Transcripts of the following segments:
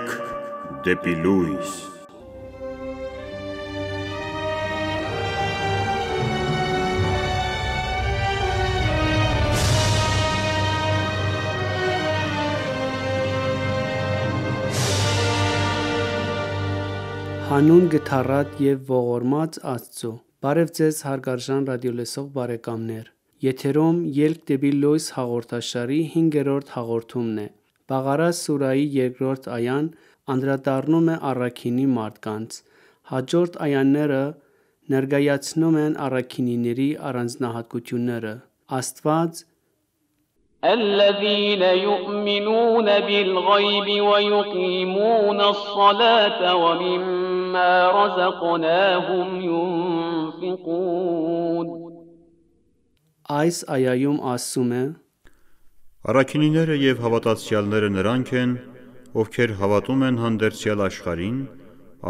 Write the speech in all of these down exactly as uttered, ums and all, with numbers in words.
Շարք դեպի լույս։ Հանուն գթառատ և ողորմած Աստծո, բարև ձեզ հարգարժան ռադիոլսող բարեկամներ, եթերում ելք դեպի լույս հաղորդաշարի հինգերորդ հաղորդումն է, Բաղարա սուրահի երկրորդ այան անդրադառնում է առաքինի մարդկանց, հաջորդ այաները ներկայացնում են առաքինիների առանձնահատկությունները, Աստված الذين يؤمنون بالغيب ويقيمون الصلاة ومما رزقناهم ينفقون Այս այայում ասում է. Առաքինիները և հավատացյալները նրանք են, ովքեր հավատում են հանդերձյալ աշխարհին,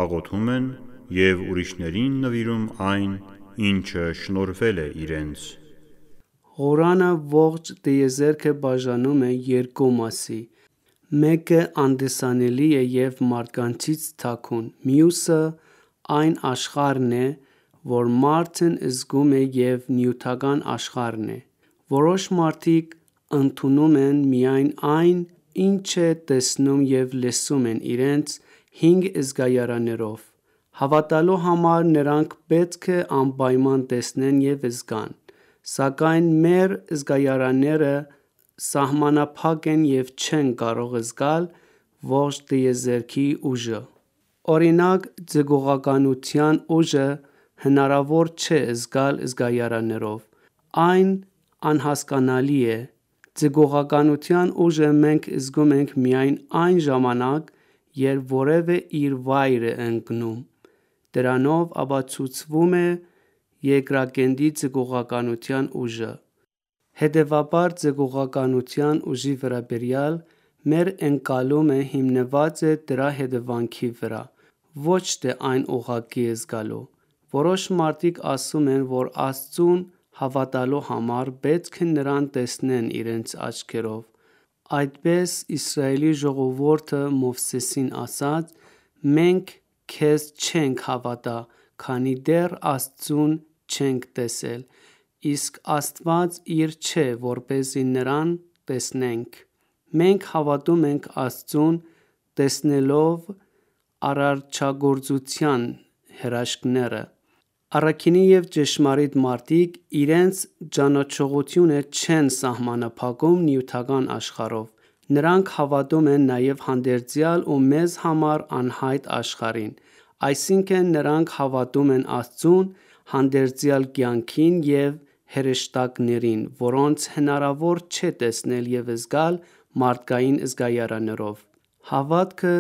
աղոթում են և ուրիշներին նվիրում այն, ինչը շնորհվել է իրենց։ Ղուրանը ողջ տիեզերքը բաժանում է երկու մասի, մեկը անտեսանելի է և մարդկանցից թաքուն, մյուսը այն աշխարհն է, որ մարդն զգում է և նյութական աշխարհն է։ Որոշ մարդիկ ընդունում են միայն այն, ինչ տեսնում և լսում են իրենց հինգ զգայարաններով։ Հավատալու համար նրանք պետք է անպայման տեսնեն և զգան, սակայն մեր զգայարանները սահմանափակ են և չեն կարող զգալ ողջ տիեզերքի ուժը։ Օրինակ, ձգողականության ուժը հնարավոր չէ զգալ զգայարաններով, այն անհասկանալի է։ Ձգողականության ուժը մենք զգում ենք միայն այն ժամանակ, երբ որևէ իր վայր է ընկնում, դրանով ապացուցվում է երկրագնդի ձգողականության ուժը։ Հետևաբար ձգողականության ուժի վերաբերյալ մեր ընկալումը հիմնված է դրա հետևանքի վրա, ոչ թե այն ուղղակի զգալու։ Որոշ մարդիկ ասում են, որ Աստծուն հավատալու համար պետք է նրան տեսնեն իրենց աչքերով։ Այդպես Իսրայելի ժողովուրդը Մովսեսին ասաց. «Մենք քեզ չենք հավատա, քանի դեռ Աստծուն չենք տեսել, իսկ Աստված իր չէ, որպեսզի նրան տեսնենք»։ Մենք հավատում ենք Աստծուն տեսնելով արարչագործության հրաշքները։ Առաքինի և ճշմարիտ մարդիկ իրենց ճանաչողությունը չեն սահմանափակում նյութական աշխարհով, նրանք հավատում են նաև հանդերձյալ ու մեզ համար անհայտ աշխարհին, այսինքն նրանք հավատում են Աստծուն, հանդերձյալ կյանքին և հրեշտակներին, որոնց հնարավոր չէ տեսնել և զգալ մարդկային զգայարաններով։ Հավատքը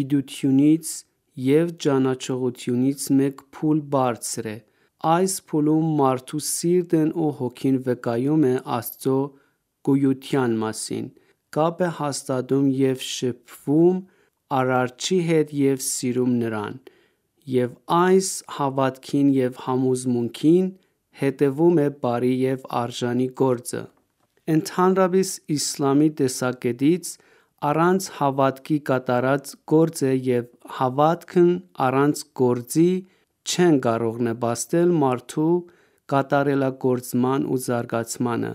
գիտությունից և ճանաչողությունից մեկ փուլ բարձր է։ Այս փուլում մարդու սիրտն ու հոգին վկայում է Աստծո գոյության մասին, կապ է հաստատում և շփվում Արարչի հետ և սիրում Նրան, և այս հավատքին և համոզմունքին հետևում է բարի և արժանի գործը։ Ընդհանրապես իսլամի տեսակետից առանց հավատքի կատարած գործ է և հավատքն առանց գործի չեն կարող նպաստել մարդու կատարելագործման ու զարգացմանը։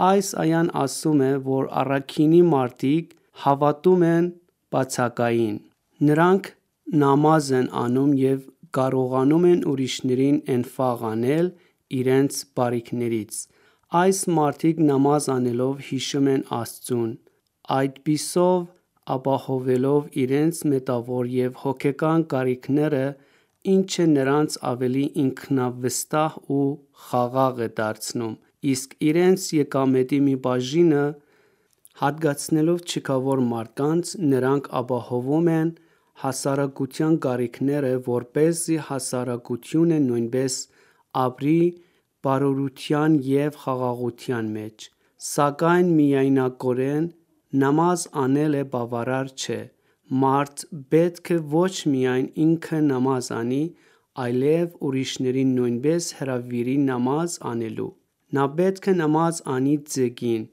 Այս այան ասում է, որ առաքինի մարդիկ հավատում են բացակային։ Նրանք նամազ են անում և կարողանում են ուրիշներին էնֆաղ անել իրենց բարիքներից։ Այս մարդիկ նամազ անելով հիշում են Աստծուն, այդպիսով ապահովելով իրենց մետավոր և հոգեկան կարիքները, ինչը նրանց ավելի ինքնավստահ ու խաղաղ է դարձնում, իսկ իրենց եկամետի մի բաժինը հատկացնելով չքավոր մարդկանց, նրանք ապահովում են հասարակության կարիքները, որպեսզի հասարակությունը նույնպես ապրի բարօրության և խաղաղության մեջ։ Սակայն միայնակորեն նամազ անելը բավարար չէ։ Մարդ պետք է ոչ միայն ինքը նամազ անի, այլև ուրիշներին նույնպես հրավիրի նամազ անելու։ Նա պետք է նամազ անի ձեգին,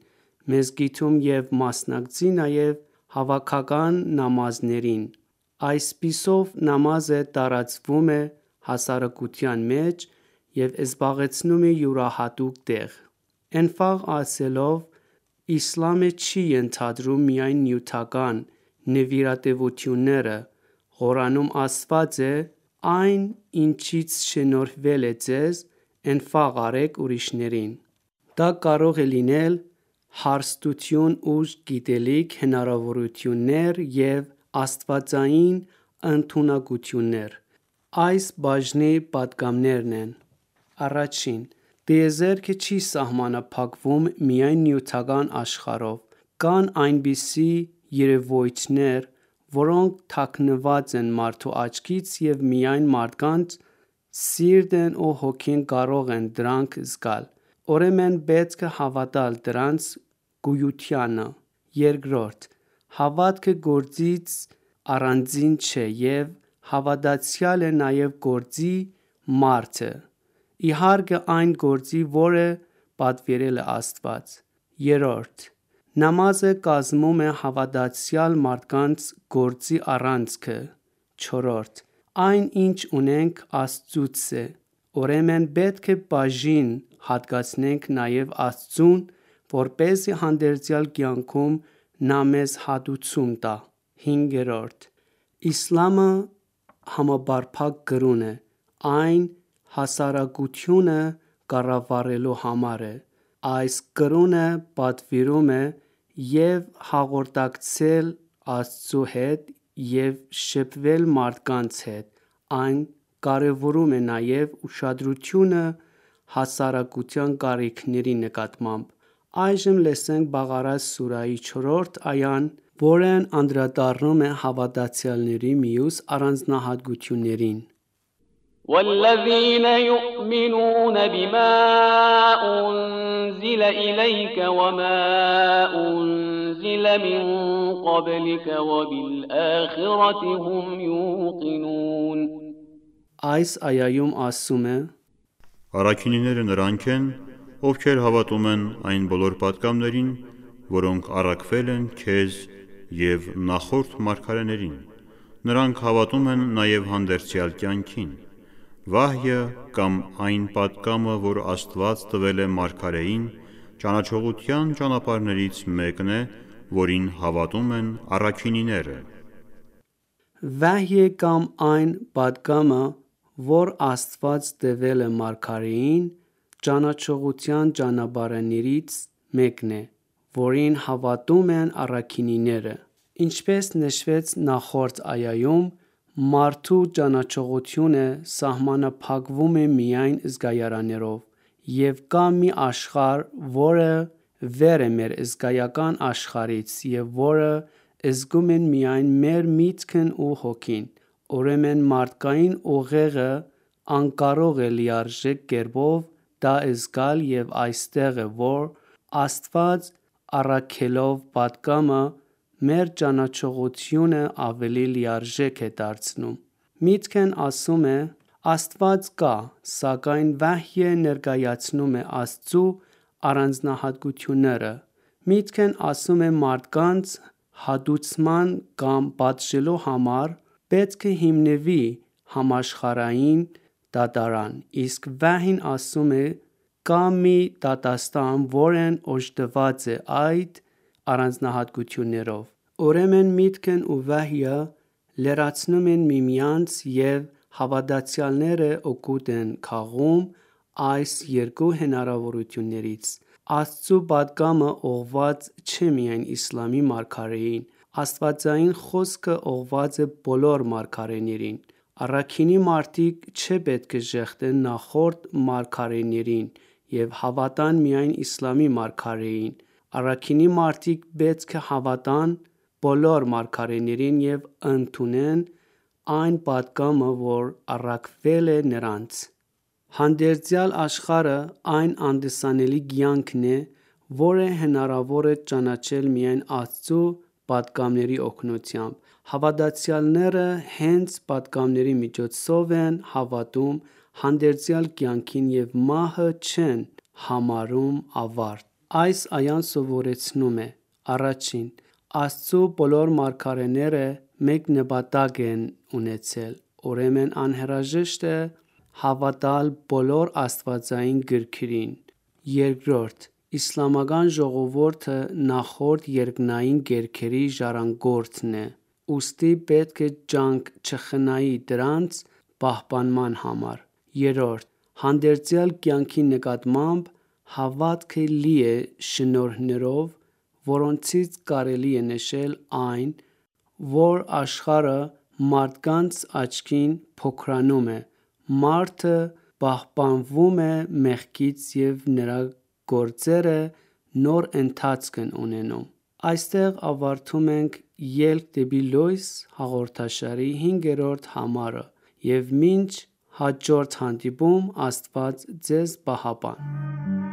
մզկիթում և մասնակցի նաև հավաքական նամազներին։ Այսպիսով նամազը տարածվում է հասարակության մեջ և զբաղեցնում է յուրահատուկ տեղ։ Էնֆաղ ասելով, իսլամը չի ենթադրում միայն նյութական նվիրատվությունները։ Ղուրանում ասված է. «Այն, ինչից շնորհվել է ձեզ, էնֆաղ արեք ուրիշներին»։ Դա կարող է լինել հարստություն, ուժ, գիտելիք, հնարավորություններ և աստվածային ընդունակություններ։ Այս բաժնի պատգամներն են. Առաջին՝ տիեզերքը չի սահմանափակվում միայն նյութական աշխարհով։ Կան այնպիսի երևույթներ, որոնք թաքնված են մարդու աչքից և միայն մարդկանց սիրտն ու հոգին կարող են դրանք զգալ։ Ուրեմն պետք է հավատալ դրանց գոյությանը։ Երկրորդ՝ հավատքը գործից առանձին չէ և հավատացյալը նաև գործի մարդ է, իհարկե այն գործի, որը պատվիրել է Աստված։ Երրորդ՝ նամազը կազմում է հավատացյալ մարդկանց գործի առանցքը։ Չորրորդ՝ այն, ինչ ունենք, Աստծուց է, ուրեմն պետք է բաժին հատկացնենք նաև Աստծուն, որպեսզի հանդերձյալ կյանքում նա մեզ հատուցում տա։ Հինգերորդ՝ իսլամը համապարփակ կրոն է։ Այն հասարակությունը կառավարելու համար է։ Այս կրոնը պատվիրում է և հաղորդակցել Աստծու հետ և շփվել մարդկանց հետ։ Այն կարևորում է նաև ուշադրությունը հասարակության կարիքների նկատմամբ։ Այժմ լսենք Բաղարա սուրահի չորրորդ այան, որն անդրադառնում է հավատացյալների մյուս առանձնահատկություններին։ والذين يؤمنون بما أنزل إليك وما أنزل من قبلك وبالآخرة هم يوقنون Այս այայում ասում է. Առաքինիները նրանք են, ովքեր հավատում են այն բոլոր պատգամներին, որոնք առաքվել են քեզ և նախորդ մարգարեներին։ Նրանք հավատում են նաև հանդերձյալ կյանքին։ Վահյը կամ այն պատգամը, որ Աստված տվել է մարգարեին, ճանաչողության ճանապարհներից մեկն է, որին հավատում են առաքինիները։ Վահյը կամ այն պատգամը, որ Աստված տվել է մարգարեին, ճանաչողության ճանապարհներից մեկն է, որին հավատում են առաքինիները։ Ինչպես նշվեց նախորդ այայում, մարդու ճանաչողությունը սահմանափակվում է միայն զգայարաններով, և կա մի աշխարհ, որը վեր է մեր զգայական աշխարհից և որը զգում են միայն մեր միտքն ու հոգին։ Ուրեմն մարդկային ուղեղը անկարող է լիարժեք կերպով դա զգալ և այստեղ է, որ Աստված առաքելով պատգամը, մեր ճանաչողությունը ավելի լիարժեք է դարձնում։ Միտքն ասում է. Աստված կա, սակայն վահյը ներկայացնում է Աստծու առանձնահատկությունները։ Միտքն ասում է մարդկանց հատուցման կամ պատժելու համար պետք է հիմնվի համաշխարհային դատարան, իսկ վահին ասում է կա մի դատաստան, որն օժտված է այդ առանձնահատկություններով։ Ուրեմն միտքն ու վահյը լրացնում են միմյանց և հավատացյալները օգուտ են քաղում այս երկու հնարավորություններից։ Աստծու պատգամը ուղղված չէ միայն իսլամի մարգարեին, աստվածային խոսքը ուղղված է բոլոր մարգարեներին։ Առաքինի մարդիկ չպետք է ժեղտեն նախորդ մարգարեներին և հավատան միայն իսլամի մարգարեին։ Առաքինի մարդիկ պետք է հավատան բոլոր մարգարեներին և ընդունեն այն պատգամը, որ առաքվել է նրանց։ Հանդերձյալ աշխարհը այն անդասանելի կյանքն է, որը հնարավոր է ճանաչել միայն Աստծու պատգամների օգնությամբ։ Հավատացյալները հենց պատգամների միջոցով են հավատում հանդերձյալ կյանքին և մահը չեն համարում ավարտ։ Այս այան սովորեցնում է. Առաջին՝ Աստծո բոլոր մարգարեները մեկ նպատակ են ունեցել, ուրեմն անհրաժեշտ է հավատալ բոլոր աստվածային գրքերին։ Երկրորդ, իսլամական ժողովուրդը նախորդ երկնային գրքերի ժառանգորդն է, ուստի պետք է ջանք չխնայի դրանց պահպանման համար։ Երրորդ, հանդերձյալ կյանքի նկատմամբ հավատքը լի է շնորհներով, որոնցից կարելի է նշել այն, որ աշխարհը մարդկանց աչքին փոքրանում է, մարդը պահպանվում է մեղքից և նրա գործերը նոր ընթացք են ունենում։ Այստեղ ավարտում ենք «Ելք դեպի լույս» հաղորդաշարի հինգերորդ համարը և մինչ հաջորդ հանդիպում Աստված ձեզ պահապան։